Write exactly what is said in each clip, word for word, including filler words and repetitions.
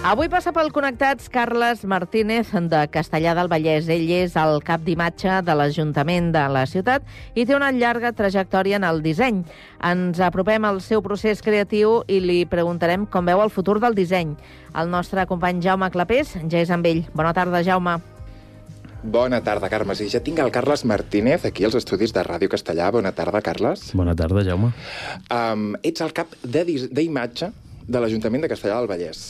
Avui passa pel Connectats Carles Martínez de Castellar del Vallès. Ell és el cap d'imatge de l'Ajuntament de la ciutat i té una llarga trajectòria en el disseny. Ens apropem al seu procés creatiu i li preguntarem com veu el futur del disseny. El nostre company Jaume Clapés ja és amb ell. Bona tarda, Jaume. Bona tarda, Carme. Sí, ja tinc el Carles Martínez aquí als estudis de Ràdio Castellar. Bona tarda, Carles. Bona tarda, Jaume. Um, ets el cap d'imatge de l'Ajuntament de Castellar del Vallès.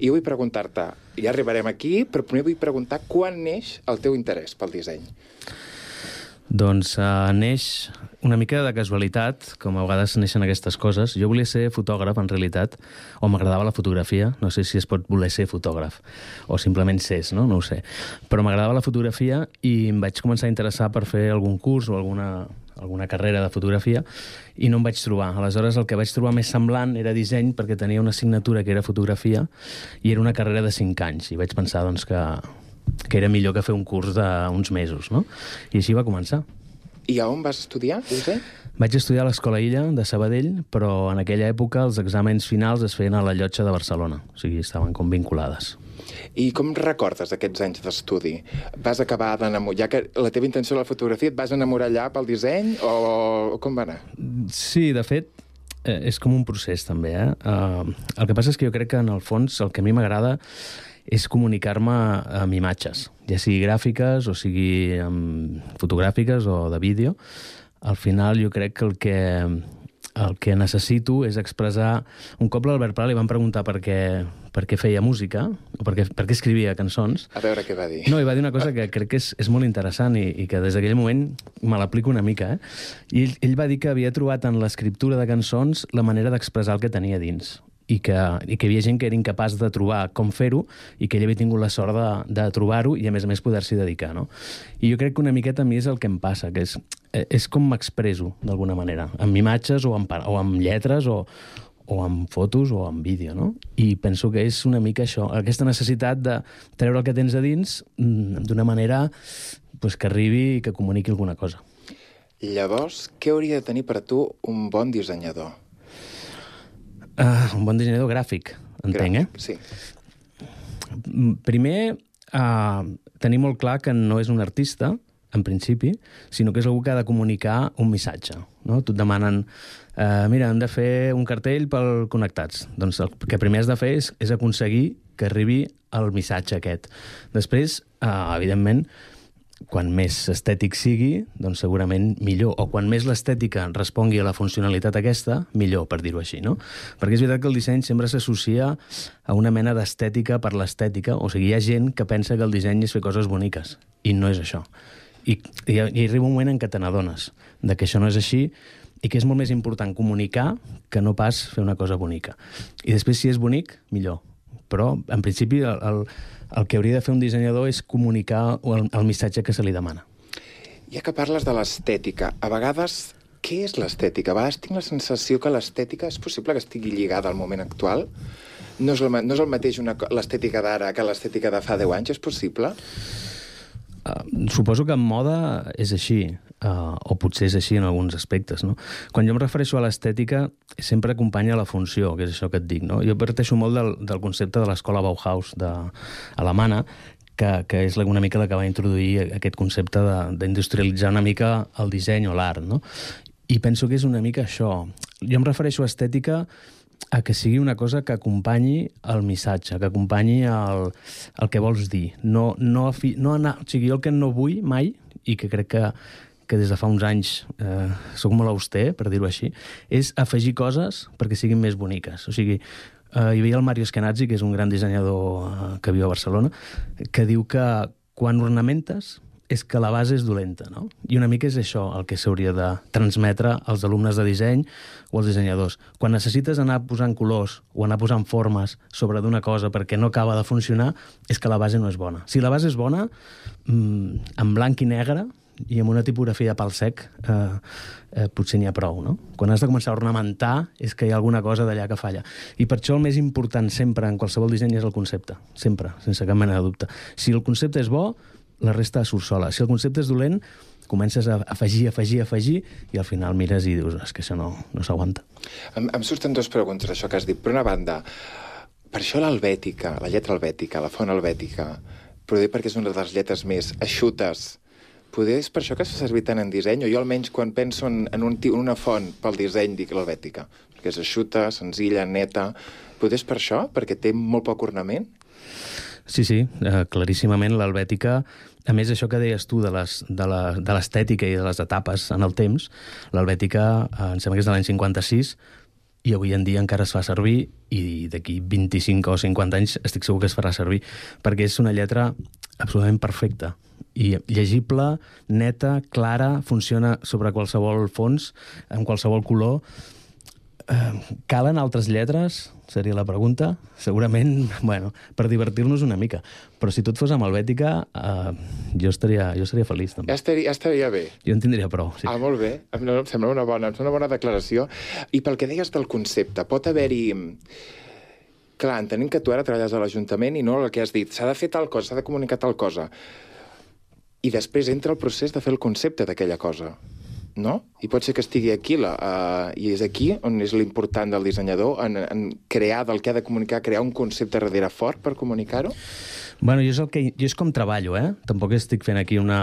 I vull preguntar-te, ja arribarem aquí, però primer vull preguntar quan neix el teu interès pel disseny? Doncs uh, neix una mica de casualitat, com a vegades neixen aquestes coses. Jo volia ser fotògraf, en realitat, o m'agradava la fotografia. No sé si es pot voler ser fotògraf, o simplement ses, no? No ho sé. Però m'agradava la fotografia i em vaig començar a interessar per fer algun curs o alguna... alguna carrera de fotografia, i no em vaig trobar. Aleshores, el que vaig trobar més semblant era disseny, perquè tenia una assignatura que era fotografia, i era una carrera de cinc anys, i vaig pensar doncs, que, que era millor que fer un curs d'uns mesos, no? I així va començar. I a on vas estudiar disseny? Vaig estudiar a l'Escola Illa, de Sabadell, però en aquella època els exàmens finals es feien a la Llotja de Barcelona, o sigui, estaven com vinculades. I com recordes aquests anys d'estudi? Vas acabar d'enamorar... Ja que la teva intenció de la fotografia, et vas enamorar allà pel disseny o com va anar? Sí, de fet, eh, és com un procés també, eh? Uh, el que passa és que jo crec que en el fons el que a mi m'agrada és comunicar-me amb imatges, ja sigui gràfiques o sigui um, fotogràfiques o de vídeo. Al final jo crec que el que... el que necessito és expressar... Un cop l'Albert Pla li van preguntar per què, per què feia música, o per què, per què escrivia cançons. A veure què va dir. No, i va dir una cosa que crec que és, és molt interessant i, i que des d'aquell moment me l'aplico una mica. Eh? I ell, ell va dir que havia trobat en l'escriptura de cançons la manera d'expressar el que tenia dins. I que, i que hi havia gent que era incapaç de trobar com fer-ho i que ell havia tingut la sort de, de trobar-ho i, a més a més, poder-s'hi dedicar, no? I jo crec que una miqueta a mi és el que em passa, que és, és com m'expresso, d'alguna manera, amb imatges o amb, o amb lletres o, o amb fotos o amb vídeo, no? I penso que és una mica això, aquesta necessitat de treure el que tens a dins d'una manera pues, que arribi i que comuniqui alguna cosa. Llavors, què hauria de tenir per a tu un bon dissenyador? Uh, un bon dissenyador gràfic, entenc, gràfic, eh? Sí. Primer, uh, tenir molt clar que no és un artista, en principi, sinó que és algú que ha de comunicar un missatge, no? Tu et demanen, uh, mira, hem de fer un cartell pel Connectats. Doncs el que primer has de fer és, és aconseguir que arribi el missatge aquest. Després, uh, evidentment, quan més estètic sigui, doncs segurament millor. O quan més l'estètica respongui a la funcionalitat aquesta, millor, per dir-ho així, no? Perquè és veritat que el disseny sempre s'associa a una mena d'estètica per l'estètica. O sigui, hi ha gent que pensa que el disseny és fer coses boniques, i no és això. I, i, i arriba un moment en què te n'adones de que això no és així i que és molt més important comunicar que no pas fer una cosa bonica. I després, si és bonic, millor. Però, en principi, el, el, el que hauria de fer un dissenyador és comunicar el, el missatge que se li demana. Ja que parles de l'estètica, a vegades, què és l'estètica? A vegades tinc la sensació que l'estètica és possible que estigui lligada al moment actual? No és el, no és el mateix l'estètica d'ara que l'estètica de fa deu anys? És possible? Uh, suposo que en moda és així, uh, o potser és així en alguns aspectes, no? Quan jo em refereixo a l'estètica, sempre acompanya la funció, que és això que et dic, no? Jo parteixo molt del, del concepte de l'escola Bauhaus de, alemana, que, que és una mica la que va introduir aquest concepte d'industrialitzar una mica el disseny o l'art, no? I penso que és una mica això. Jo em refereixo a estètica a que sigui una cosa que acompanyi el missatge, que acompanyi el, el que vols dir. No, no, no anar, o sigui, jo el que no vull mai, i que crec que, que des de fa uns anys eh, soc molt auster, per dir-ho així, és afegir coses perquè siguin més boniques. O sigui, eh, hi havia el Mario Eskenazi, que és un gran dissenyador eh, que viu a Barcelona, que diu que quan ornamentes és que la base és dolenta, no? I una mica és això el que s'hauria de transmetre als alumnes de disseny o als dissenyadors. Quan necessites anar posant colors o anar posant formes sobre d'una cosa perquè no acaba de funcionar, és que la base no és bona. Si la base és bona, mmm, en blanc i negre i amb una tipografia pal sec, eh, eh, potser n'hi ha prou, no? Quan has de començar a ornamentar és que hi ha alguna cosa d'allà que falla. I per això el més important sempre en qualsevol disseny és el concepte. Sempre, sense cap mena de dubte. Si el concepte és bo, la resta surt sola. Si el concepte és dolent, comences a afegir, afegir, afegir, i al final mires i dius, és que això no, no s'aguanta. Em, em surten dues preguntes, això que has dit. Per una banda, per això l'helvètica, la lletra helvètica, la font helvètica, poder perquè és una de les lletres més eixutes, poder és per això que es fa servir tant en disseny, o jo almenys quan penso en, en, un, en una font pel disseny dic l'helvètica, perquè és eixuta, senzilla, neta, poder és per això, perquè té molt poc ornament? Sí, sí, eh, claríssimament l'helvètica, a més això que deies tu de l'estètica i de les etapes en el temps, l'helvètica eh, em sembla que és de l'any cinquanta-sis i avui en dia encara es fa servir i d'aquí vint-i-cinc o cinquanta anys estic segur que es farà servir perquè és una lletra absolutament perfecta i llegible, neta, clara, funciona sobre qualsevol fons, amb qualsevol color. Eh, calen altres lletres? Seria la pregunta. Segurament, bueno, per divertir-nos una mica. Però si tot fos amb helvètica, eh, jo, estaria, jo estaria feliç, també. Ja estaria, ja estaria bé. Jo en tindria prou, sí. Ah, molt bé. Em, em sembla una bona, em sembla una bona declaració. I pel que deies del concepte, pot haver-hi... Clar, entenem que tu ara treballes a l'Ajuntament i no el que has dit. S'ha de fer tal cosa, s'ha de comunicar tal cosa. I després entra el procés de fer el concepte d'aquella cosa. No? I pot ser que estigui aquí, la, uh, i és aquí on és l'important del dissenyador, en, en crear del que ha de comunicar, crear un concepte darrere fort per comunicar-ho? Bueno, jo és, el que, jo és com treballo, eh? Tampoc estic fent aquí una,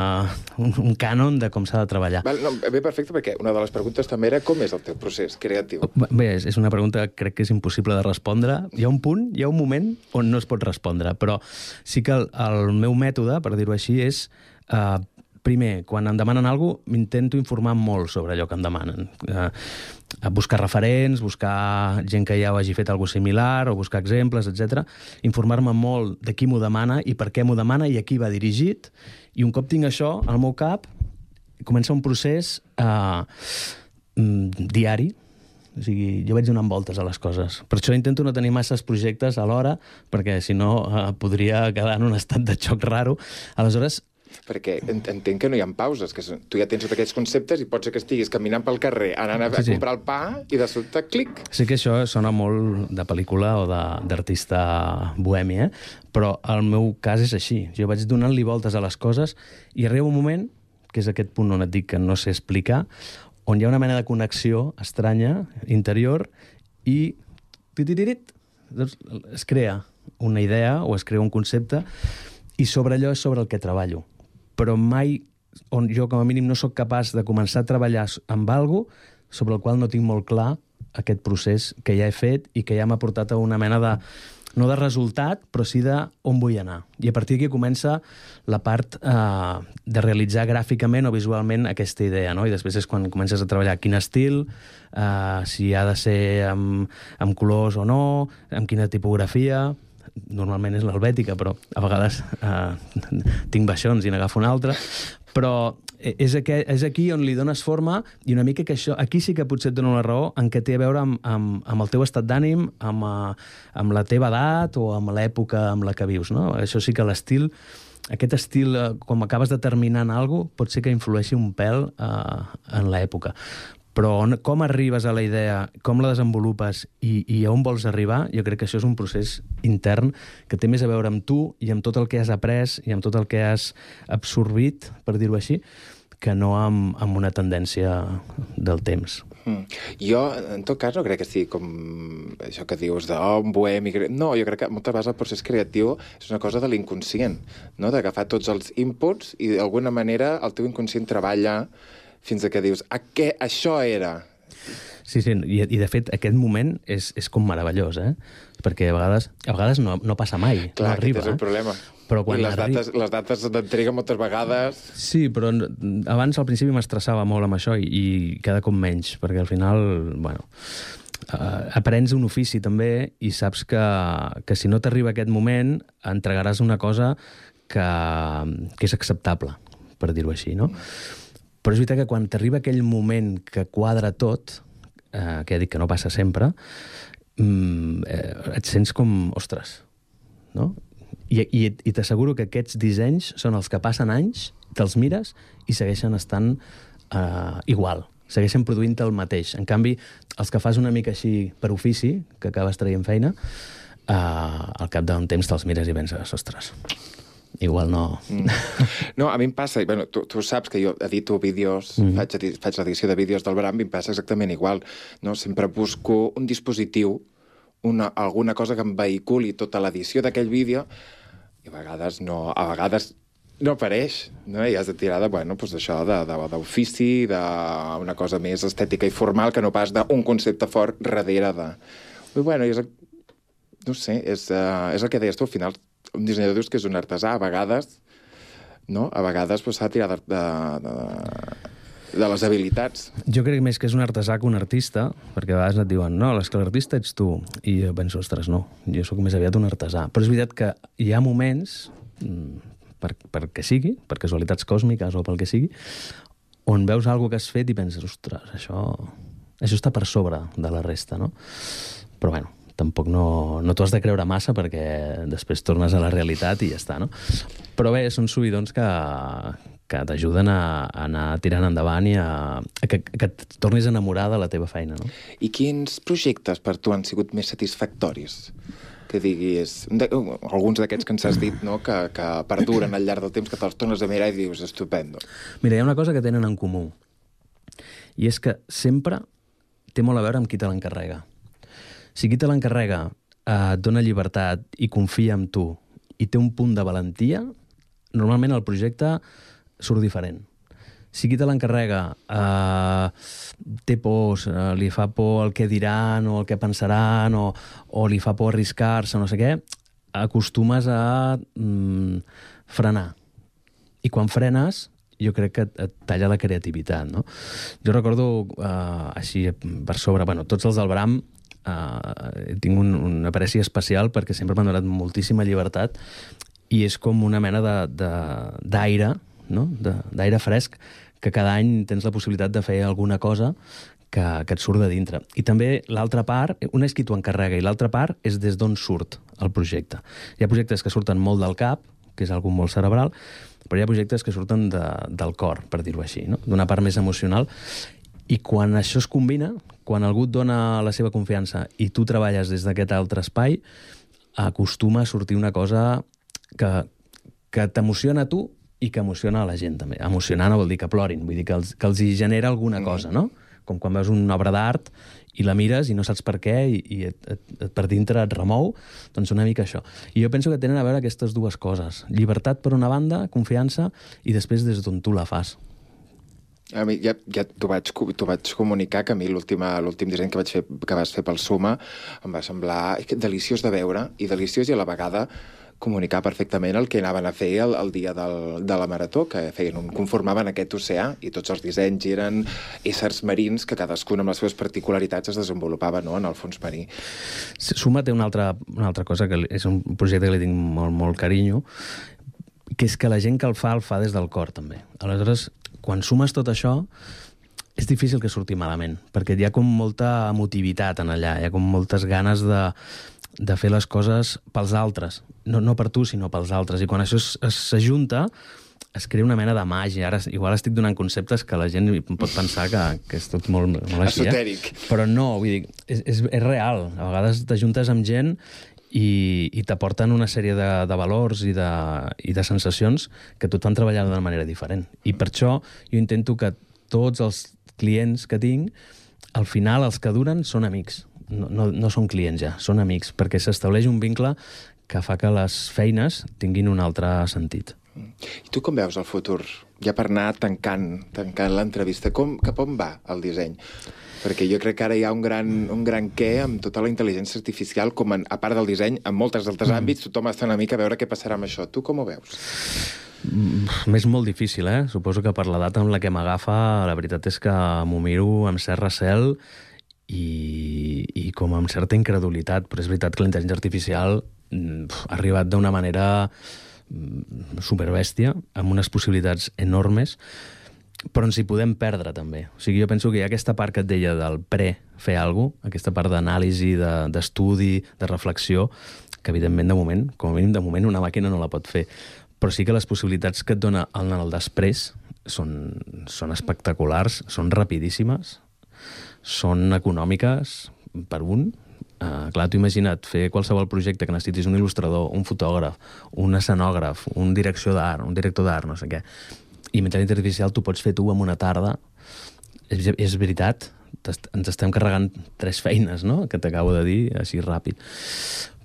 un, un cànon de com s'ha de treballar. Val, no, bé, perfecte, perquè una de les preguntes també era com és el teu procés creatiu? Bé, és, és una pregunta que crec que és impossible de respondre. Hi ha un punt, hi ha un moment on no es pot respondre, però sí que el, el meu mètode, per dir-ho així, és... Uh, primer, quan em demanen alguna cosa, m'intento informar molt sobre allò que em demanen. Eh, buscar referents, buscar gent que ja ho hagi fet alguna cosa similar, o buscar exemples, etcètera. Informar-me molt de qui m'ho demana i per què m'ho demana i a qui va dirigit. I un cop tinc això al meu cap, comença un procés eh, diari. O sigui, jo vaig donant voltes a les coses. Per això intento no tenir masses projectes alhora, perquè si no eh, podria quedar en un estat de xoc raro. Aleshores, perquè entenc que no hi ha pauses, que tu ja tens tots aquests conceptes i pot ser que estiguis caminant pel carrer, anant a sí, sí. comprar el pa i de sobte, clic. Sí que això sona molt de pel·lícula o d'artista bohemi, eh? Però el meu cas és així. Jo vaig donant-li voltes a les coses i arriba un moment, que és aquest punt on et dic que no sé explicar, on hi ha una mena de connexió estranya, interior, i doncs es crea una idea o es crea un concepte i sobre allò és sobre el que treballo. Però mai, on jo com a mínim no sóc capaç de començar a treballar amb alguna cosa sobre el qual no tinc molt clar aquest procés que ja he fet i que ja m'ha portat a una mena de, no de resultat, però sí de on vull anar. I a partir d'aquí comença la part eh, de realitzar gràficament o visualment aquesta idea, no? I després és quan comences a treballar quin estil, eh, si ha de ser amb, amb colors o no, amb quina tipografia... Normalment és l'helvètica, però a vegades eh, tinc baixons i n'agafo una altra. Però és aquí, és aquí on li dones forma i una mica que això... Aquí sí que potser et dono la raó en què té a veure amb, amb, amb el teu estat d'ànim, amb, amb la teva edat o amb l'època amb la que vius, no? Això sí que l'estil... Aquest estil, quan acabes determinant alguna cosa, pot ser que influeixi un pèl eh, en l'època. Però on, com arribes a la idea, com la desenvolupes i, i a on vols arribar, jo crec que això és un procés intern que té més a veure amb tu i amb tot el que has après i amb tot el que has absorbit, per dir-ho així, que no amb, amb una tendència del temps. Mm. Jo, en tot cas, no crec que sigui com això que dius de, oh, un bohemi... No, jo crec que moltes vegades el procés creatiu és una cosa de l'inconscient, no? D'agafar tots els inputs i d'alguna manera el teu inconscient treballa fins a que dius, a què això era? Sí, sí, i, i de fet aquest moment és, és com meravellós, eh? Perquè a vegades, a vegades no, no passa mai, clar, no arriba. Clar, aquest és el problema. Però quan I les arri... dates, les dates d'entrega moltes vegades... Sí, però abans al principi m'estressava molt amb això i, i cada cop menys, perquè al final, bueno, uh, aprens un ofici també i saps que, que si no t'arriba aquest moment entregaràs una cosa que, que és acceptable, per dir-ho així, no? Però és veritat que quan t'arriba aquell moment que quadra tot, eh, que ja dic que no passa sempre, eh, et sents com, ostres, no? I, i, i t'asseguro que aquests dissenys són els que passen anys, te'ls mires i segueixen estant eh, igual, segueixen produint el mateix. En canvi, els que fas una mica així per ofici, que acabes traient feina, eh, al cap d'un temps te'ls mires i penses, ostres... Igual no... Mm. No, a mi em passa, bueno, tu, tu saps que jo edito vídeos, mm. faig, faig l'edició de vídeos del Bram, i em passa exactament igual. No? Sempre busco un dispositiu, una, alguna cosa que em vehiculi tota l'edició d'aquell vídeo, i a vegades no, a vegades no apareix, no? I has de tirar de, bueno, doncs això, d'ofici, d'una cosa més estètica i formal, que no pas d'un concepte fort darrere de... I, bueno, és, no sé, és, uh, és el que deies tu, al final, un dissenyador dius que és un artesà, a vegades, no? A vegades pues, s'ha de tirar de, de, de, de les habilitats. Jo crec més que és un artesà que un artista, perquè a vegades et diuen, no, és que l'artista ets tu. I jo penso, ostres, no, jo sóc més aviat un artesà. Però és veritat que hi ha moments... Per, per què sigui, per casualitats còsmiques o pel que sigui, on veus alguna que has fet i penses, ostres, això, això està per sobre de la resta, no? Però, bueno, tampoc no, no t'ho has de creure massa perquè després tornes a la realitat i ja està, no? Però bé, són subidons que, que t'ajuden a, a anar tirant endavant i a, a que, que et tornis a enamorar de la teva feina, no? I quins projectes per tu han sigut més satisfactoris? Que diguis, de, uh, alguns d'aquests que ens has dit, no? que, que perduren al llarg del temps, que te'ls tornes a mirar i dius, estupendo. Mira, hi ha una cosa que tenen en comú, i és que sempre té molt a veure amb qui te l'encarrega. Si qui te l'encarrega eh, et dona llibertat i confia en tu i té un punt de valentia, normalment el projecte surt diferent. Si qui te l'encarrega eh, té pors, eh, li fa por el que diran o el que pensaran o, o li fa por arriscar-se o no sé què, acostumes a mm, frenar. I quan frenes, jo crec que et, et talla la creativitat, no? Jo recordo, eh, així per sobre, bueno, tots els del Bram eh, tinc un, una apreci especial perquè sempre m'han donat moltíssima llibertat i és com una mena d'aire, no? D'aire fresc, que cada any tens la possibilitat de fer alguna cosa que, que et surt de dintre. I també l'altra part, una és qui t'ho encarrega i l'altra part és des d'on surt el projecte. Hi ha projectes que surten molt del cap, que és algo molt cerebral, però hi ha projectes que surten de, del cor, per dir-ho així, no? D'una part més emocional. I quan això es combina, quan algú et dona la seva confiança i tu treballes des d'aquest altre espai, acostuma a sortir una cosa que, que t'emociona a tu i que emociona a la gent, també. Emocionar no vol dir que plorin, vull dir que els, que els hi genera alguna cosa, no? Com quan veus una obra d'art i la mires i no saps per què i, i et, et, et, per dintre et remou, doncs una mica això. I jo penso que tenen a veure aquestes dues coses. Llibertat per una banda, confiança, i després des d'on tu la fas. A mi ja, ja t'ho vaig, vaig comunicar que a mi l'últim disseny que, vaig fer, que vas fer pel Suma em va semblar deliciós de veure i deliciós i a la vegada comunicar perfectament el que anaven a fer el, el dia del, de la marató, que feien un, conformaven aquest oceà i tots els dissenys eren éssers marins que cadascun amb les seves particularitats es desenvolupaven, no?, en el fons marí. Suma té una altra, una altra cosa, que és un projecte que li tinc molt, molt carinyo, que és que la gent que el fa, el fa des del cor, també. Aleshores, quan sumes tot això, és difícil que surti malament, perquè hi ha com molta emotivitat en allà, hi ha com moltes ganes de, de fer les coses pels altres. No, no per tu, sinó pels altres. I quan això s'ajunta, es crea una mena de màgia. Ara, igual estic donant conceptes que la gent pot pensar que, que és tot molt, molt així. Esotèric. Eh? Però no, vull dir, és, és, és real. A vegades t'ajuntes amb gent i, i t'aporten una sèrie de, de valors i de, i de sensacions que tot fan treballar d'una manera diferent. I per això jo intento que tots els clients que tinc, al final els que duren són amics. No, no, no són clients ja, són amics, perquè s'estableix un vincle que fa que les feines tinguin un altre sentit. I tu com veus el futur? Ja per anar tancant, tancant l'entrevista, com, cap on va el disseny? Perquè jo crec que ara hi ha un gran, un gran què amb tota la intel·ligència artificial, com en, a part del disseny, en molts altres mm. àmbits, tothom està una mica a veure què passarà amb això. Tu com ho veus? M'és molt difícil, eh? Suposo que per l'edat amb la que m'agafa, la veritat és que m'ho miro amb cert recel i, i com amb certa incredulitat, però és veritat que la intel·ligència artificial pf, ha arribat d'una manera superbèstia, amb unes possibilitats enormes, però ens hi podem perdre també. O sigui, jo penso que hi ha aquesta part que et deia del pre-fer alguna cosa, aquesta part d'anàlisi, d'estudi, de, de reflexió, que evidentment de moment, com a mínim de moment, una màquina no la pot fer. Però sí que les possibilitats que et dona el, el després són, són espectaculars, són rapidíssimes, són econòmiques per un. Uh, clar, t'ho imagina't fer qualsevol projecte que necessitis un il·lustrador, un fotògraf, un escenògraf, un direcció d'art, un director d'art, no sé què. I amb intel·ligència artificial t'ho pots fer tu en una tarda. És, és veritat, ens estem carregant tres feines, no?, que t'acabo de dir, així ràpid.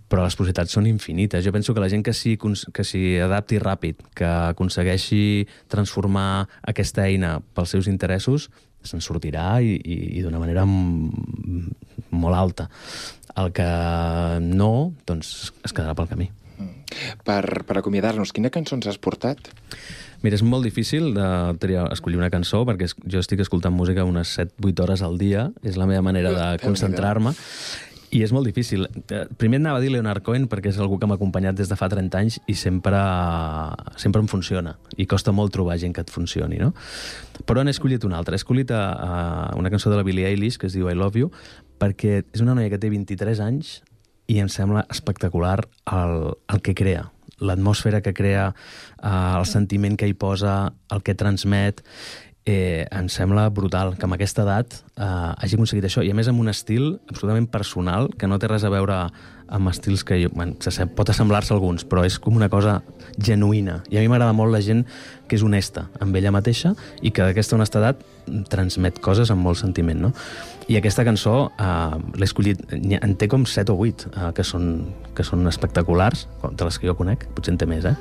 Però les possibilitats són infinites. Jo penso que la gent que s'hi que s'hi adapti ràpid, que aconsegueixi transformar aquesta eina pels seus interessos, se'n sortirà i, i, i d'una manera molt alta. El que no, doncs es quedarà pel camí. Per, per acomiadar-nos, quina cançó ens has portat? Mira, és molt difícil de triar, escollir una cançó, perquè jo estic escoltant música unes set vuit hores al dia, és la meva manera de concentrar-me, i és molt difícil. Primer anava a dir Leonard Cohen, perquè és algú que m'ha acompanyat des de fa trenta anys i sempre, sempre em funciona, i costa molt trobar gent que et funcioni, no? Però n'he escollit una altra. He escollit a, a una cançó de la Billie Eilish, que es diu I Love You, perquè és una noia que té vint-i-tres anys i em sembla espectacular el, el que crea, l'atmosfera que crea, eh, el sentiment que hi posa, el que transmet. Eh, em sembla brutal que amb aquesta edat eh, hagi aconseguit això, i a més amb un estil absolutament personal, que no té res a veure amb estils que jo, bueno, pot assemblar-se a alguns, però és com una cosa genuïna, i a mi m'agrada molt la gent que és honesta amb ella mateixa i que d'aquesta honestedat transmet coses amb molt sentiment, no? I aquesta cançó eh, l'he escollit, en té com set o vuit eh, que, són, que són espectaculars, de les que jo conec, potser en té més, eh?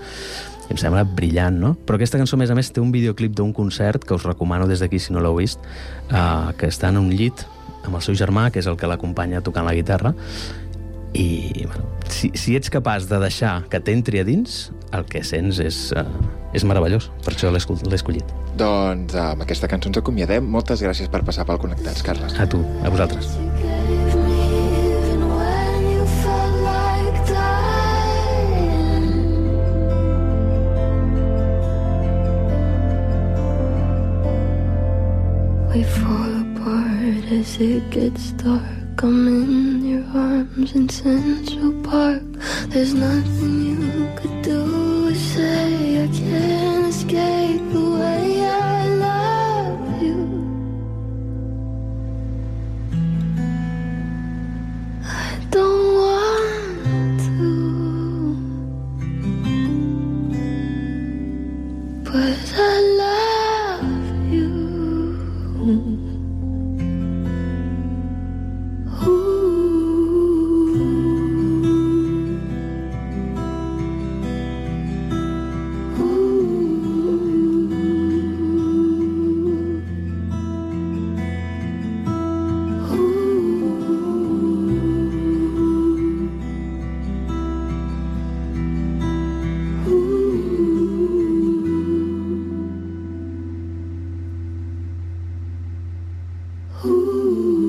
I em sembla brillant, no? Però aquesta cançó, a més a més, té un videoclip d'un concert que us recomano des d'aquí, si no l'heu vist, eh, que està en un llit amb el seu germà, que és el que l'acompanya tocant la guitarra, i bueno, si, si ets capaç de deixar que t'entri a dins, el que sents és, eh, és meravellós. Per això l'he escollit. Doncs amb aquesta cançó ens acomiadem. Moltes gràcies per passar pel Connectats, Carles. A tu, a vosaltres. We fall apart as it gets dark. I'm in your arms in Central Park. There's nothing you could do or say. I can't escape the way I love you. I don't want to, but I love you. Ooh.